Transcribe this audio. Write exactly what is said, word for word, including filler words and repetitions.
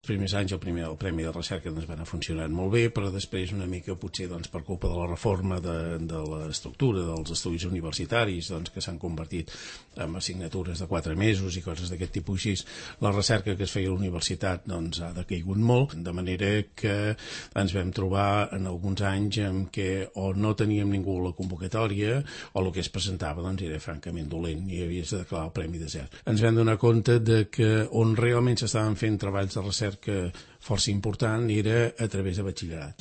Els primers anys el, primer, el Premi de Recerca doncs, va anar funcionant molt bé, però després una mica potser doncs, per culpa de la reforma de, de l'estructura dels estudis universitaris doncs, que s'han convertit en assignatures de quatre mesos i coses d'aquest tipus així, la recerca que es feia a la universitat doncs, ha decaigut molt, de manera que ens vam trobar en alguns anys en què o no teníem ningú a la convocatòria o el que es presentava doncs, era francament dolent i havies de declarar el premi de zero. Ens vam donar compte de que on realment s'estaven fent treballs de recerca que força important era a través de batxillerat.